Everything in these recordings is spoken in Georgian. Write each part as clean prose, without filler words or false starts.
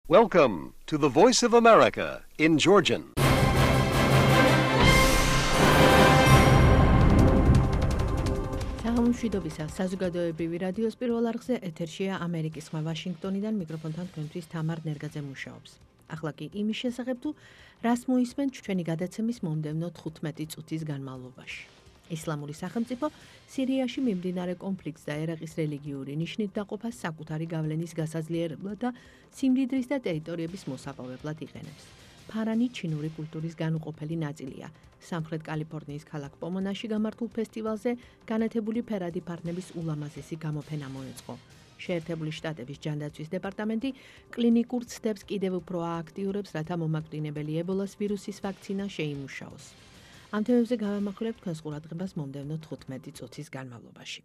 Welcome to the Voice of America in Georgian. სამშვიდობისა საზოგადოებრივი რადიოს პირველ არხზე ეთერშია ამერიკის ხმა ვაშინგტონიდან მიკროფონთან თქვენთვის თამარ ნერგაძე მუშაობს. ახლა კი იმის შესახებ თუ რას მოისმენ ჩვენი გადაცემის მომდევნო 15 წუთის განმავლობაში. ისლამური სახელმწიფო სირიაში მიმდინარე კონფლიქტს და ერაყის რელიგიური ნიშნით დაყოფას საკუთარი გავლენის გასაძლიერებლად და სიმდიდრის და ტერიტორიების მოსაპოვებლად იყენებს. ფარანი ჩინური კულტურის განუყოფელი ნაწილია. სამხრეთ კალიფორნიის ქალაქ პომონაში გამართულ ფესტივალზე განათებული ფერადი ფარნების ულამაზესი გამოფენა მოეწყო. შეერთებული შტატების ჯანდაცვის დეპარტამენტი კლინიკურ ცდებს კიდევ უფრო ააქტიურებს, რათა მომაკვდინებელი ებოლას ვირუსის ვაქცინა შეიმუშაოს. ამ თემებზე გავამახვილებთ თქვენს ყურადღებას მომდევნო 15 წუთის განმავლობაში.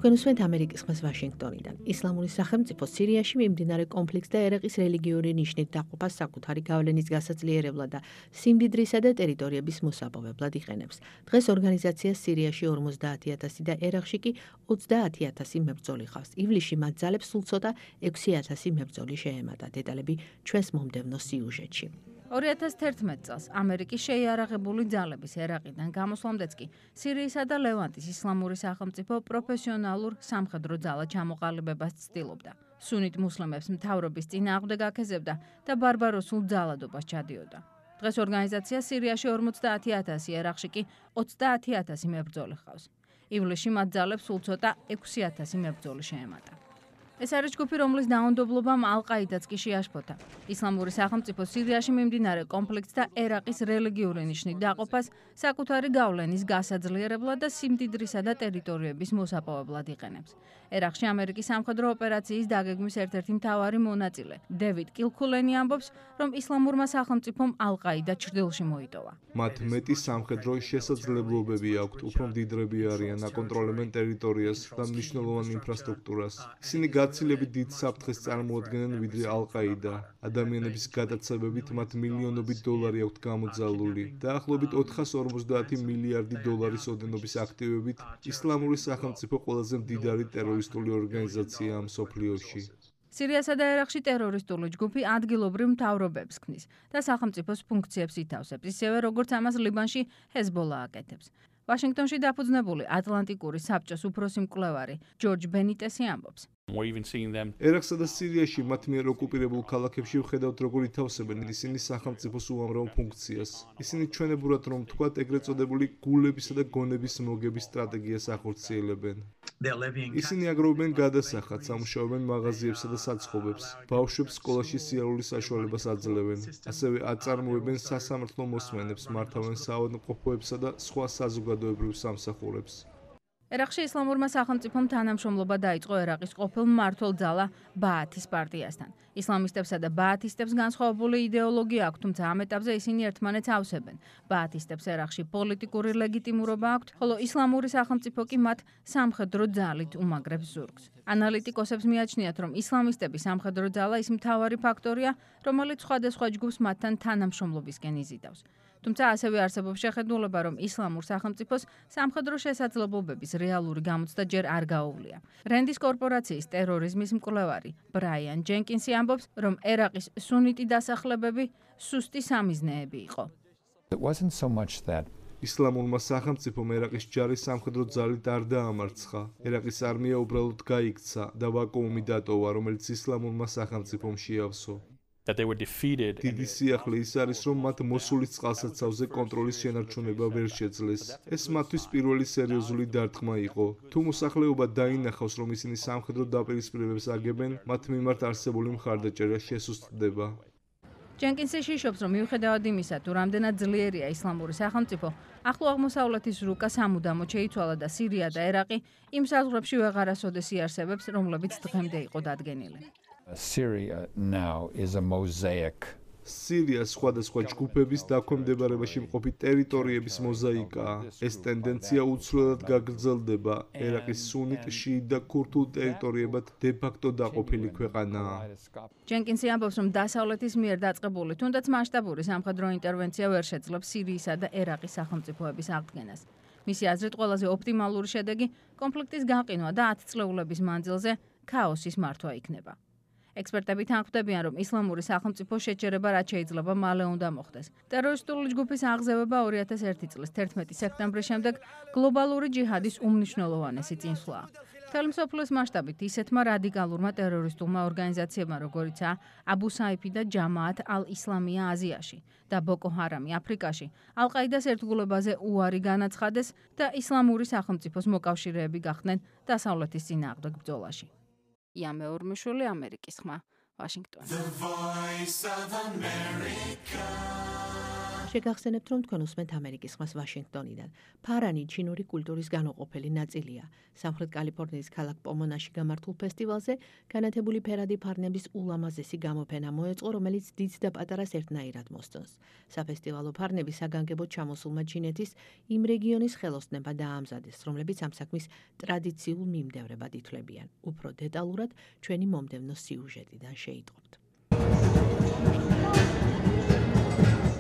თქვენ უსმენთ ამერიკის ხმას ვაშინგტონიდან. ისლამური სახელმწიფო სირიაში მიმდინარე კონფლიქტს და ერაყის რელიგიური ნიშნით დაყოფას საკუთარი გავლენის გასაძლიერებლად და სიმდიდრისა და ტერიტორიების მოსაპოვებლად იყენებს. დღეს ორგანიზაცია სირიაში 50,000 და ერაყში კი 30,000 მებრძოლი ხავს. ივლისში მათ ძალებს სულ ცოტა 6,000 მებრძოლი შეემატა. დეტალები ჩვენს მომდევნო სიუჟეტში. 2011 წელს ამერიკის შეიარაღებული ძალების ერაყიდან გამოსვლამდეც კი სირიისა და ლევანტის ისლამური სახელმწიფო პროფესიონალურ სამხედრო ძალად ჩამოყალიბებას ცდილობდა. სუნით მუსლიმებს მთავრობის წინააღმდეგ აქეზებდა და ბარბაროსულ ძალადობას ჩადიოდა. დღეს ორგანიზაცია სირიაში 50,000, ერაყში კი 30,000 მებრძოლი ხავს. ივლისში მათ ძალებს სულ ცოტა 6,000 მებრძოლი შეემატა. ეს არის ჯგუფი, რომლის დაუნდობლობამ ალ-ყაიდაც კი შეაშფოთა. ისლამური სახელმწიფო სირიაში მიმდინარე კონფლიქტს და ერაყის რელიგიური ნიშნით დაყოფას საკუთარი გავლენის გასაძლიერებლად და სიმდიდრისა და ტერიტორიების მოსაპოვებლად იყენებს. ერაყში ამერიკის სამხედრო ოპერაციის დაგეგმვის ერთ-ერთი მთავარი მონაწილე დევიდ კილქულენი ამბობს, რომ ისლამურმა სახელმწიფომ ალ-ყაიდა ჩრდილში მოიტოვა. მათ მეტი სამხედრო შესაძლებლობები აქვთ, უფრო მდიდრები არიან, აკონტროლებენ ტერიტორიას და მნიშვნელოვან ინფრასტრუქტურას. ისინი გაცილებით დიდ საფრთხეს წარმოადგენენ ვიდრე ალ-ყაიდა. ადამიანების გადაცემებით მათ მილიონობით დოლარი აქვთ გამოძალული. დაახლოებით 450 მილიარდი დოლარის ოდენობის აქტივებით ისლამური სახელმწიფო ყველაზე მდიდარი ტერორისტული ორგანიზაციაა მსოფლიოში. სირიასა და ერაყში ტერორისტული ჯგუფი ადგილობრივ მთავრობებს ქმნის და სახელმწიფოს ფუნქციებს ითავსებს, ისევე როგორც ამას ლიბანში ჰეზბოლა აკეთებს. ვაშინგტონში დაფუძნებული ატლანტიკური საბჭოს უფროსი მკვლევარი ჯორჯ ბენიტესი ამბობს. ერაყსა და სირიაში მათ მიერ ოკუპირებულ ქალაქებში ვხედავთ, როგორ ითავსებენ ისინი სახელმწიფოს უამრავ ფუნქციას. ისინი ჩვენებურად რომ თქვათ, ეგრეთ წოდებული გულებისა და გონების მოგების სტრატეგიას ახორციელებენ. ისინი აგროვებენ გადასახადს, ამუშავებენ მაღაზიებსა და საცხობებს, ბავშვებს სკოლაში სიარულის საშუალებას აძლევენ, ასევე აწარმოებენ სასამართლო მოსმენებს, მართავენ საავადმყოფოებსა და სხვა საზოგადოებრივ სამსახურებს. ერაყში ისლამურმა სახელმწიფომ თანამშრომლობა დაიწყო ერაყის ყოფილ მმართველ ძალა ბაათის პარტიასთან. ისლამისტებსა და ბაათისტებს განსხვავებული იდეოლოგია აქვთ, თუმცა ამ ეტაპზე ისინი ერთმანეთს ავსებენ. ბაათისტებს ერაყში პოლიტიკური ლეგიტიმურობა აქვთ, ხოლო ისლამური სახელმწიფო კი მათ სამხედრო ძალით უმაგრებს ზურგს. ანალიტიკოსებს მიაჩნიათ, რომ ისლამისტების სამხედრო ძალა ის მთავარი ფაქტორია, რომელიც სხვადასხვა ჯგუფს მათთან თანამშრომლობისკენ იზიდავს. თუმცა ასევე არსებობს შეხედულება, რომ ისლამურ სახელმწიფოს სამხედრო შესაძლებლობების რეალური გამოცდა ჯერ არ გაუვლია. რენდის კორპორაციის ტერორიზმის მკვლევარი ბრაიან ჯენკინსი ამბობს, რომ ერაყის სუნიტი დასახლებები სუსტი სამიზნეები იყო. ისლამურმა სახელმწიფომ ერაყის ჯარის სამხედრო ძალით არ დაამარცხა. ერაყის არმია უბრალოდ გაიქცა და ვაკუუმი დატოვა, რომელიც ისლამურმა სახელმწიფომ შეავსო. დიდი სიახლე ის არის, რომ მათ მოსულის წყალსაცავზე კონტროლის შენარჩუნება ვერ შეძლეს. ეს მათთვის პირველი სერიოზული დარტყმა იყო. თუ მოსახლეობა დაინახავს, რომ ისინი სამხედრო დაპირისპირებებს აგებენ, მათ მიმართ არსებული მხარდაჭერა შესუსტდება. ჯენკინსი შიშობს, რომ მიუხედავად იმისა, თუ რამდენად ძლიერია ისლამური სახელმწიფო, ახლო აღმოსავლეთის რუკა სამუდამოდ შეიცვალა და სირია და ერაყი იმ საზღვრებში ვეღარასოდეს იარსებებს, რომლებიც დღემდე იყო დადგენილი. სირია სხვადასხვა ჯგუფების დაქვემდებარებაში მყოფი ტერიტორიების მოზაიკაა. ეს ტენდენცია უცვლელად გაგრძელდება. ერაყის სუნიტ, შიიტ და ქურთულ ტერიტორიებად დე-ფაქტო დაყოფილი ქვეყანაა. ჯენკინსი ამბობს, რომ დასავლეთის მიერ დაწყებული, თუნდაც მასშტაბური სამხედრო ინტერვენცია ვერ შეძლებს სირიისა და ერაყის სახელმწიფოების აღდგენას. მისი აზრით, ყველაზე ოპტიმალური შედეგი კონფლიქტის გაყინვა და 10 წლეულების მანძილზე ქაოსის მართვა იქნება. ექსპერტები თანხმდებიან, რომ ისლამური სახელმწიფო შეჯერება რაც შეიძლება მალე უნდა მოხდეს. ტერორისტული ჯგუფის აღზევება 2001 წლის 11 სექტემბრის შემდეგ გლობალური ჯიჰადის უმნიშვნელოვანესი წინსვლაა. მთელი მსოფლიოს მასშტაბით ისეთმა რადიკალურმა ტერორისტულმა ორგანიზაციებმა, როგორიცაა აბუ საიფი და ჯამაათ ალ-ისლამია აზიაში და ბოკო ჰარამი აფრიკაში, ალ-ყაიდას ერთგულებაზე უარი განაცხადეს და ისლამური სახელმწიფოს მოკავშირეები გახდნენ დასავლეთის წინააღმდეგ ბრძოლაში. ია მეორმიშვილი, ამერიკის ხმა, ვაშინგტონი. შეგახსენებთ, რომ თქვენ უსმენთ ამერიკის ხმას ვაშინგტონიდან. ფარანი ჩინური კულტურის განუყოფელი ნაწილია. სამხრეთ კალიფორნიის ქალაქ პომონაში გამართულ ფესტივალზე განათებული ფერადი ფარნების ულამაზესი გამოფენა მოეწყო, რომელიც დიდ და პატარას ერთნაირად მოსწონს. საფესტივალო ფარნები საგანგებოდ ჩამოსულმა ჩინეთის იმ რეგიონის ხელოსნებმა დაამზადეს, რომლებიც ამ საქმის ტრადიციულ მიმდევრებად ითვლებიან. უფრო დეტალურად ჩვენი მომდევნო სიუჟეტიდან შეიტყობთ.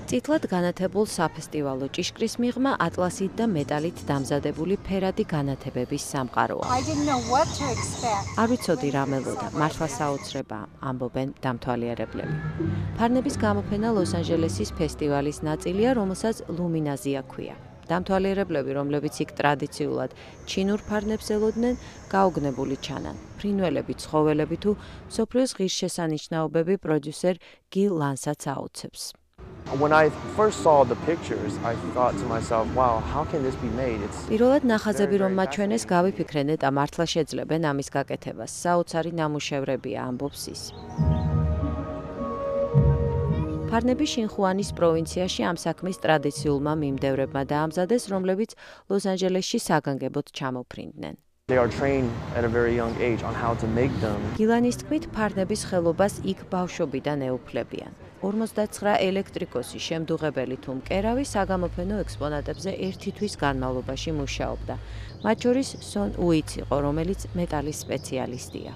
წითლად განათებულ საფესტივალო ჭიშკრის მიღმა ატლასით და მეტალით დამზადებული ფერადი განათებების სამყაროა. არ ვიცოდი რა მელოდა, მართლა საოცრებაა, ამბობენ დამთვალიერებლები. ფარნების გამოფენა ლოს-ანჯელესის ფესტივალის ნაწილია, რომელსაც ლუმინაზია ჰქვია. დამთვალიერებლები, რომლებიც იქ ტრადიციულად ჩინურ ფარნებს ელოდნენ, გაუგნებული ჩანან. ფრინველები, ცხოველები თუ მსოფლიოს ღირსშესანიშნაობები პროდიუსერ გილ ლანსაც აუცებს. When I first saw the pictures, I thought to myself, wow, how can this be made? პირველად ნახაზები რომ მაჩვენეს, გავიფიქრე ნეტა მართლა შეძლებენ ამის გაკეთებას. საოცარი ნამუშევრებია, ამბობს ის. ფარნები შინხუანის პროვინციაში ამ საქმის ტრადიციულმა მიმდევრებმა დაამზადეს, რომლებიც ლოს-ანჯელესში საგანგებოდ ჩამოფრინდნენ. They are trained at a very young age on how to make them. გილანის თქმით, ფარნების ხელობას იქ ბავშვობიდან ეუფლებიან. 59 ელექტრიკოსი, შემდუღებელი თუ მკერავი საგამოფენო ექსპონატებზე 1 თვის განმავლობაში მუშაობდა. მათ შორის სონ უიც იყო, რომელიც მეტალის სპეციალისტია.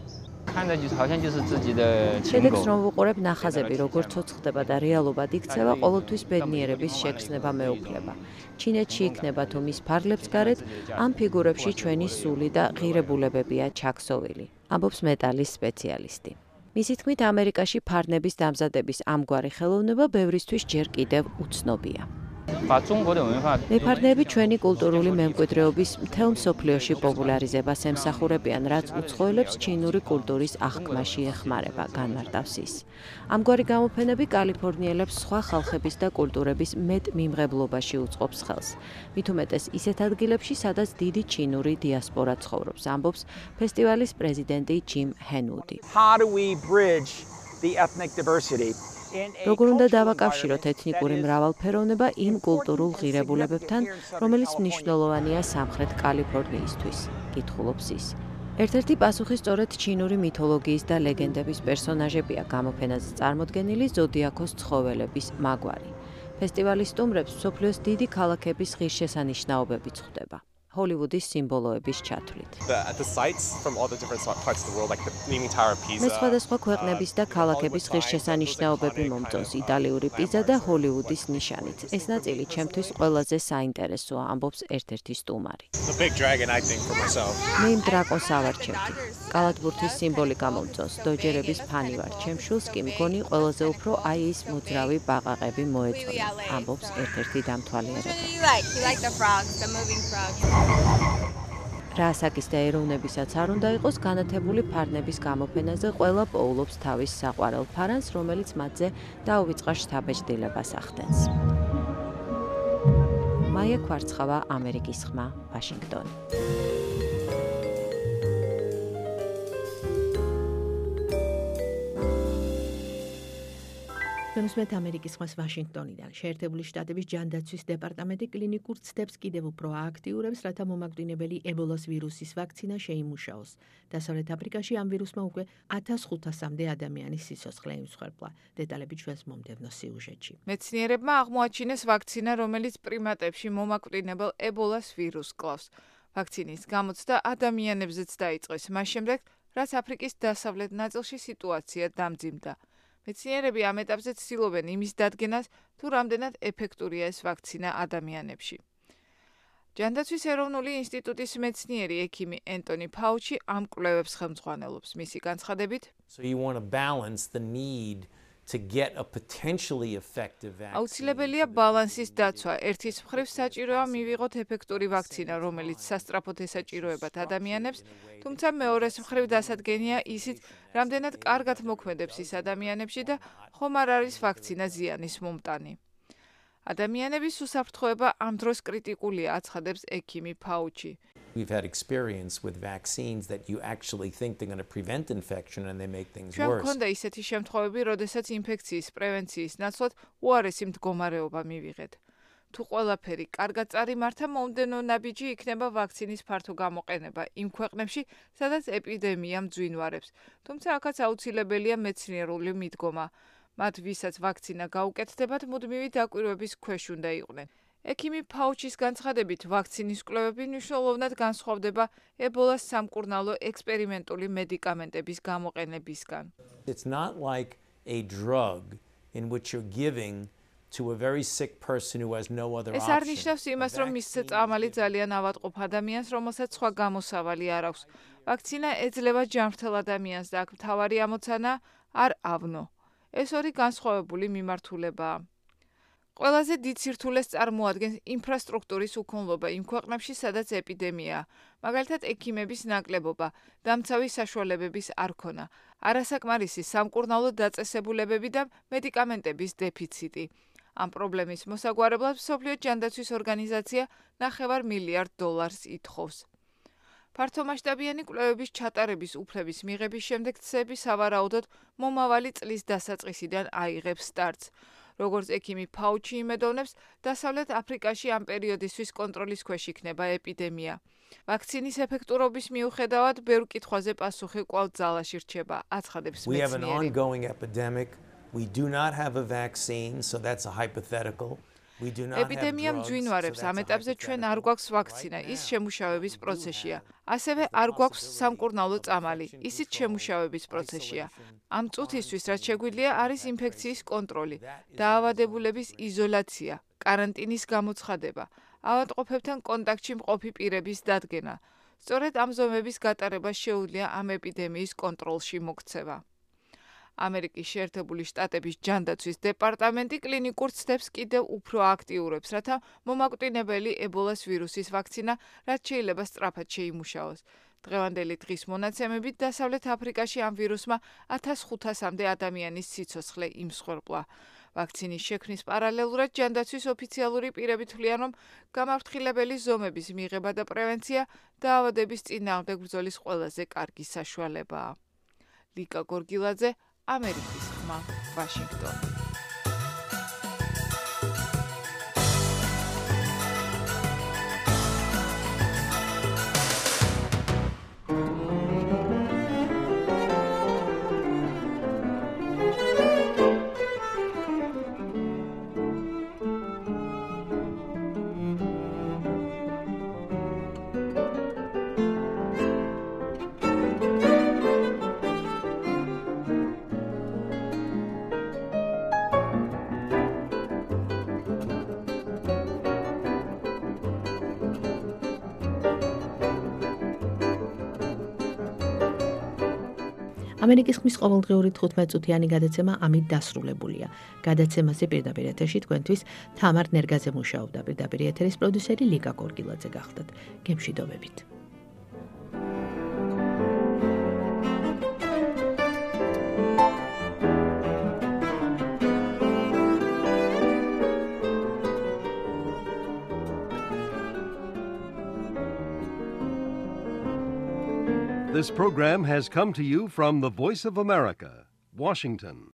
შედეგს რომ ვუყურებ, ნახაზები როგორ ცოცხლდება და რეალობად იქცევა, ყოველთვის ბედნიერების შეგრძნება მეუფლება. ჩინეთში იქნება თუ მის ფარგლებს გარეთ, ამ ფიგურებში ჩვენი სული და ღირებულებებია ჩაქსოვილი, ამბობს მეტალის სპეციალისტი. მისი თქმით, ამერიკაში ფარნების დამზადების ამგვარი ხელოვნება ბევრისთვის ჯერ კიდევ უცნობია. მეფარნები ჩვენი კულტურული მემკვიდრეობის მთელ მსოფლიოში პოპულარიზებას ემსახურებიან, რაც უცხოელებს ჩინური კულტურის აღქმაში ეხმარება, განმარტავს ის. ამგვარი გამოფენები კალიფორნიელებს სხვა ხალხების და კულტურების მეტ მიმღებლობაში უწყობს ხელს. მით უმეტეს ისეთ ადგილებში, სადაც დიდი ჩინური დიასპორა ცხოვრობს, ამბობს ფესტივალის პრეზიდენტი ჯიმ ჰენუდი. როგორ უნდა დავაკავშიროთ ეთნიკური მრავალფეროვნება იმ კულტურულ ღირებულებებთან, რომელიც მნიშვნელოვანია სამხრეთ კალიფორნიისთვის, კითხულობს ის. ერთ-ერთი პასუხი სწორედ ჩინური მითოლოგიის და ლეგენდების პერსონაჟებია გამოფენაზე წარმოდგენილი ზოდიაქოს ცხოველების მაგვარი. ფესტივალის სტუმრებს მსოფლიოს დიდი ქალაქების ღირსშესანიშნაობებიც ხვდება. ჰოლივუდის სიმბოლოების ჩათვლით. მე სხვადასხვა ქვეყნების და ქალაქების ღირსშესანიშნაობები მომწონს, იტალიური პიზა და ჰოლივუდის ნიშანით. ეს ნაწილი ჩემთვის ყველაზე საინტერესოა, ამბობს ერთ-ერთი სტუმარი. მე იმ დრაკონს ავარჩევდი. კალათბურთის სიმბოლიკა მომწონს, დოჯერების ფანი ვარ, ჩემს შულს კი მგონი ყველაზე უფრო აი ის მოძრავი ბაყაყები მოეწონა, ამბობს ერთ-ერთი დამთვალიერებელი. რასაკის და ეროვნებისაც არ უნდა იყოს განათებული ფარნების გამოფენაზე ყველა პოულობს თავის საყვარელ ფარანს, რომელიც მათზე დაუვიწყარ შთაბეჭდილებას ახდენს. მაია კვარცხავა, ამერიკის ხმა, ვაშინგტონი. უსმენთ ამერიკის ხმას ვაშინგტონიდან. შეერთებული შტატების ჯანდაცვის დეპარტამენტი კლინიკურ ცდებს კიდევ უფრო ააქტიურებს, რათა მომაკვდინებელი ებოლას ვირუსის ვაქცინა შეიმუშაოს. დასავლეთ აფრიკაში ამ ვირუსმა უკვე 1500-მდე ადამიანის სიცოცხლე იმსხვერპლა. დეტალები ჩვენს მომდევნო სიუჟეტში. მეცნიერებმა აღმოაჩინეს ვაქცინა, რომელიც პრიმატებში მომაკვდინებელ ებოლას ვირუსს კლავს. ვაქცინის გამოცდა ადამიანებზეც დაიწყეს, მას შემდეგ, რაც აფრიკის დასავლეთ ნაწილში სიტუაცია დამძიმდა. მეცნიერები ამ ეტაპზე ცდილობენ იმის დადგენას, თუ რამდენად ეფექტურია ეს ვაქცინა ადამიანებში. ჯანდაცვის ეროვნული ინსტიტუტის მეცნიერი ექიმი ენტონი ფაუჩი ამ კვლევებს ხელმძღვანელობს. მისი განცხადებით, So you want to balance the need to get a potentially effective vaccine. აუცილებელია ბალანსის დაცვა. ერთის მხრივ საჭიროა მივიღოთ ეფექტური ვაქცინა, რომელიც სასწრაფოდ ესაჭიროებათ ადამიანებს, თუმცა მეორეს მხრივ დასადგენია ისიც, რამდენად კარგად მოქმედებს ის ადამიანებში და ხომ არ არის ვაქცინა ზიანის მომტანი. ადამიანების უსაფრთხოება ამ დროს კრიტიკულია, აცხადებს ექიმი ფაუჩი. We've had experience with vaccines that you actually think they're going to prevent infection and they make things ჩვენ worse. გვქონდა ისეთი შემთხვევები, როდესაც ინფექციის პრევენციის ნაცვლად უარესი მდგომარეობა მივიღეთ. თუ ყველაფერი კარგად წარიმართა, მომდენო ნაბიჯი იქნება ვაქცინის ფართო გამოყენება იმ ქვეყნებში, სადაც ეპიდემია მძვინვარებს. თუმცა აქაც აუცილებელია მეცნიერული მიდგომა. მათ, ვისაც ვაქცინა გაუკეთდებათ, მუდმივი დაკვირვების ქვეშ უნდა იყვნენ. ექიმი ფაუჩის განცხადებით, ვაქცინის კვლევები მნიშვნელოვნად განსხვავდება ებოლას სამკურნალო ექსპერიმენტული მედიკამენტების გამოყენებისგან. It's not like a drug in which you're giving to a very sick person who has no other ეს option. არ ნიშნავს იმას, რომ მისცე წამალი ძალიან ავადმყოფ ადამიანს, რომელსაც სხვა გამოსავალი არ აქვს. ვაქცინა ეძლევა ჯანმრთელ ადამიანს და აქ მთავარი ამოცანა არ ავნო. ეს ორი განსხვავებული მიმართულებაა. ყველაზე დიდ სირთულეს წარმოადგენს ინფრასტრუქტურის უქონლობა იმ ქვეყნებში, სადაც ეპიდემიაა. მაგალითად, ექიმების ნაკლებობა, დამცავი საშუალებების არ ქონა, არასაკმარისი სამკურნალო დაწესებულებები და მედიკამენტების დეფიციტი. ამ პრობლემის მოსაგვარებლად მსოფლიო ჯანდაცვის ორგანიზაცია $9 მილიარდ ითხოვს. ფართომასშტაბიანი კვლევების ჩატარების უფლების მიღების შემდეგ ცები სავარაუდოდ მომავალი წლის დასაწყისიდან აიღებს სტარტს. როგორც ექიმი ფაუჩი იმედოვნებს, დასავლეთ აფრიკაში ამ პერიოდისთვის კონტროლის ქვეშ იქნება ეპიდემია. ვაქცინის ეფექტურობის მიუხედავად, ბევრ კითხვაზე პასუხი კვლავ ძალაში რჩება, აცხადებს We have an მეცნიერი. ongoing epidemic. We do not have a vaccine, so that's a hypothetical. We do not have ეპიდემია drugs, so მძვინვარებს, that's ამ a ეტაპზე ჩვენ არ hypothetical. გვაქვს ვაქცინა, ის შემუშავების პროცესია. ასევე არ გვაქვს სამკურნალო წამალი, ისიც შემუშავების პროცესია. ამ წუთისთვის, რაც შეგვიძლია, არის ინფექციის კონტროლი, დაავადებულების იზოლაცია, კარანტინის გამოცხადება, ავადმყოფებთან კონტაქტში მყოფი პირების დადგენა. სწორედ ამ ზომების გატარება შეუძლია ამ ეპიდემიის კონტროლში მოქცევა. ამერიკის შეერთებული შტატების ჯანდაცვის დეპარტამენტი კლინიკურ ცდებს კიდევ უფრო აქტიურებს, რათა მომაკვდინებელი ებოლას ვირუსის ვაქცინა რაც შეიძლება სწრაფად შეიმუშაოს. დღევანდელი დღის მონაცემებით დასავლეთ აფრიკაში ამ ვირუსმა 1500-მდე ადამიანის სიცოცხლე იმსხვერპლა. ვაქცინის შექმნის პარალელურად ჯანდაცვის ოფიციალური პირები თვლიან, რომ გამაფრთხილებელი ზომების მიღება და პრევენცია დაავადების წინააღმდეგ ბრძოლის ყველაზე კარგი საშუალებაა. ლიკა გორგილაძე, ამერიკის ხმა, ვაშინგტონი. ამერიკის ხმის ყოველდღიური 15-წუთიანი გადაცემა ამით დასრულებულია. გადაცემაზე პირდაპირ ეთერში თქვენთვის თამარ ნერგაძე მუშაობდა. პირდაპირ ეთერის პროდიუსერი ლიკა გორგილაძე გახდათ. გემშვიდობებით. This program has come to you from the Voice of America, Washington.